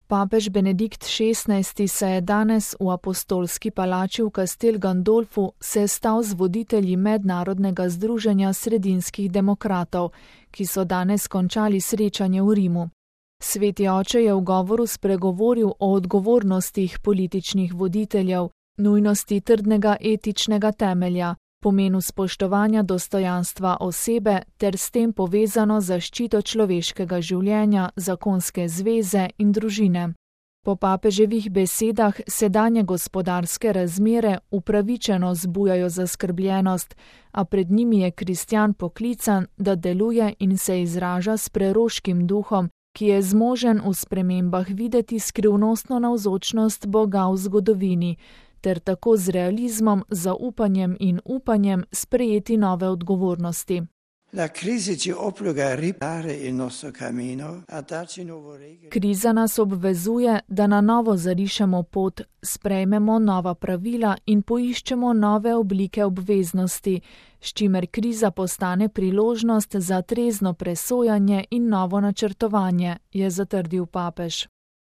Papež Benedikt XVI se je danes v apostolski palači v Castel Gandolfu sestal z voditelji Mednarodnega združenja sredinskih demokratov, ki so danes končali srečanje v Rimu. Sveti oče je v govoru spregovoril o odgovornostih političnih voditeljev, nujnosti trdnega etičnega temelja, pomenu spoštovanja dostojanstva osebe ter s tem povezano zaščito človeškega življenja, zakonske zveze in družine. Po papeževih besedah sedanje gospodarske razmere upravičeno zbujajo zaskrbljenost, a pred njimi je kristjan poklican, da deluje in se izraža s preroškim duhom, ki je zmožen v spremembah videti skrivnostno navzočnost Boga v zgodovini, ter tako z realizmom, zaupanjem in upanjem sprejeti nove odgovornosti. Kriza nas obvezuje, da na novo zarišemo pot, sprejmemo nova pravila in poiščemo nove oblike obveznosti, s čimer kriza postane priložnost za trezno presojanje in novo načrtovanje, je zatrdil papež.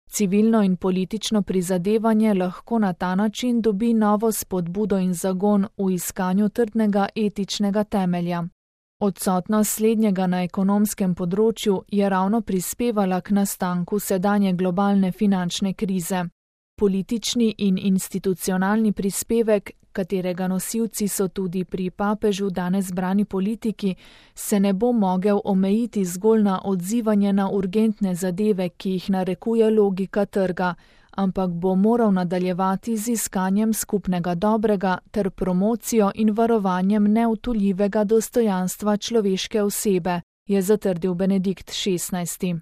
Civilno in politično prizadevanje lahko na ta način dobi novo spodbudo in zagon v iskanju trdnega etičnega temelja. Odsotnost slednjega na ekonomskem področju je ravno prispevala k nastanku sedanje globalne finančne krize. Politični in institucionalni prispevek, katerega nosilci so tudi pri papežu danes zbrani politiki, se ne bo mogel omejiti zgolj na odzivanje na urgentne zadeve, ki jih narekuje logika trga, ampak bo moral nadaljevati z iskanjem skupnega dobrega ter promocijo in varovanjem neutujljivega dostojanstva človeške osebe, je zatrdil Benedikt XVI.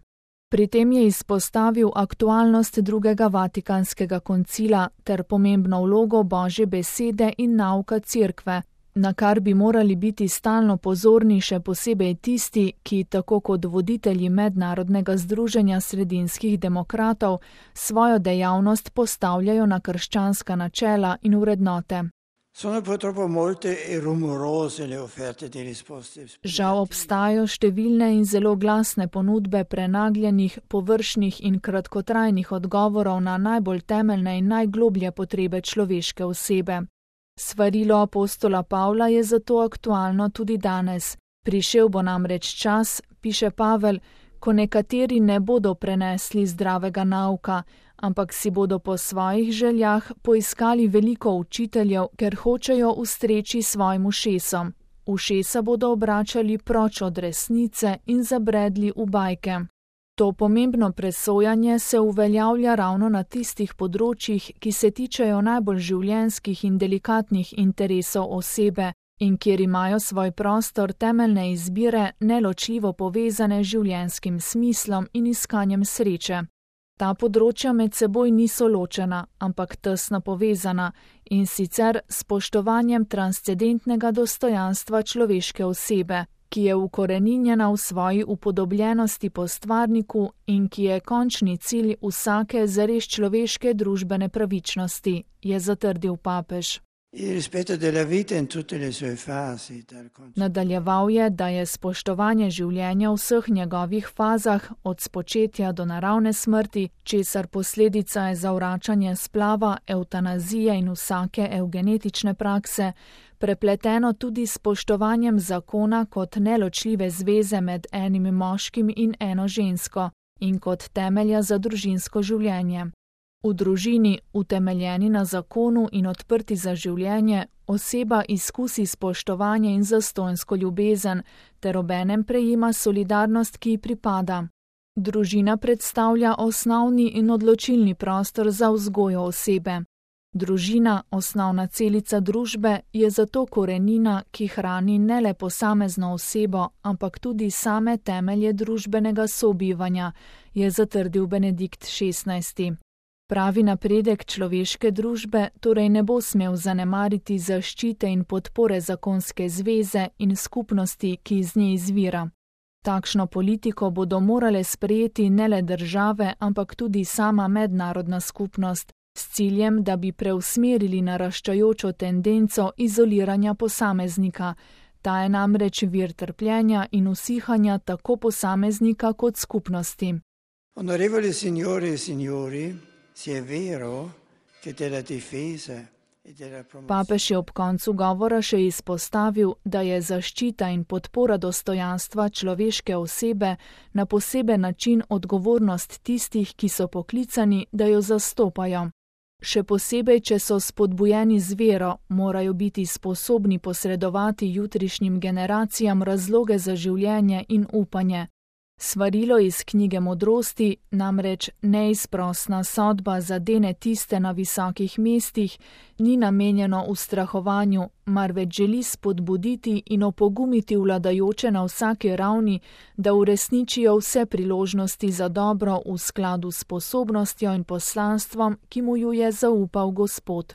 Pri tem je izpostavil aktualnost drugega Vatikanskega koncila ter pomembno vlogo Božje besede in nauka Cerkve, na kar bi morali biti stalno pozorni še posebej tisti, ki, tako kot voditelji Mednarodnega združenja sredinskih demokratov, svojo dejavnost postavljajo na krščanska načela in vrednote. Žal obstajajo številne in zelo glasne ponudbe prenagljenih, površnih in kratkotrajnih odgovorov na najbolj temeljne in najgloblje potrebe človeške osebe. Svarilo apostola Pavla je zato aktualno tudi danes. Prišel bo namreč čas, piše Pavel, ko nekateri ne bodo prenesli zdravega nauka, ampak si bodo po svojih željah poiskali veliko učiteljev, ker hočejo ustreči svojim ušesom. Ušesa bodo obračali proč od resnice in zabredli v bajke. To pomembno presojanje se uveljavlja ravno na tistih področjih, ki se tičejo najbolj življenjskih in delikatnih interesov osebe in kjer imajo svoj prostor temeljne izbire neločljivo povezane z življenjskim smislom in iskanjem sreče. Ta področja med seboj niso ločena, ampak tesno povezana, in sicer s spoštovanjem transcendentnega dostojanstva človeške osebe, ki je ukoreninjena v svoji upodobljenosti po stvarniku in ki je končni cilj vsake zares človeške družbene pravičnosti, je zatrdil papež. Nadaljeval je, da je spoštovanje življenja v vseh njegovih fazah, od spočetja do naravne smrti, česar posledica je zavračanje splava, evtanazije in vsake evgenetične prakse, prepleteno tudi s spoštovanjem zakona kot neločljive zveze med enim moškim in eno žensko in kot temelja za družinsko življenje. V družini, utemeljeni na zakonu in odprti za življenje, oseba izkusi spoštovanje in zastonjsko ljubezen ter obenem prejema solidarnost, ki ji pripada. Družina predstavlja osnovni in odločilni prostor za vzgojo osebe. Družina, osnovna celica družbe, je zato korenina, ki hrani ne le posamezno osebo, ampak tudi same temelje družbenega sobivanja, je zatrdil Benedikt XVI. Pravi napredek človeške družbe torej ne bo smel zanemariti zaščite in podpore zakonske zveze in skupnosti, ki iz nje izvira. Takšno politiko bodo morale sprejeti ne le države, ampak tudi sama mednarodna skupnost, s ciljem, da bi preusmerili naraščajočo tendenco izoliranja posameznika. Ta je namreč vir trpljenja in usihanja tako posameznika kot skupnosti. Onorevoli signore e signori, se è vero che della difesa e della promozione Papež je ob koncu govora še izpostavil, da je zaščita in podpora dostojanstva človeške osebe na poseben način odgovornost tistih, ki so poklicani, da jo zastopajo. Še posebej, če so spodbujeni z vero, morajo biti sposobni posredovati jutrišnjim generacijam razloge za življenje in upanje. Svarilo iz knjige Modrosti, namreč neizprosna sodba zadene tiste na visokih mestih, ni namenjeno ustrahovanju, marveč želi spodbuditi in opogumiti vladajoče na vsaki ravni, da uresničijo vse priložnosti za dobro v skladu s sposobnostjo in poslanstvom, ki mu ju je zaupal Gospod.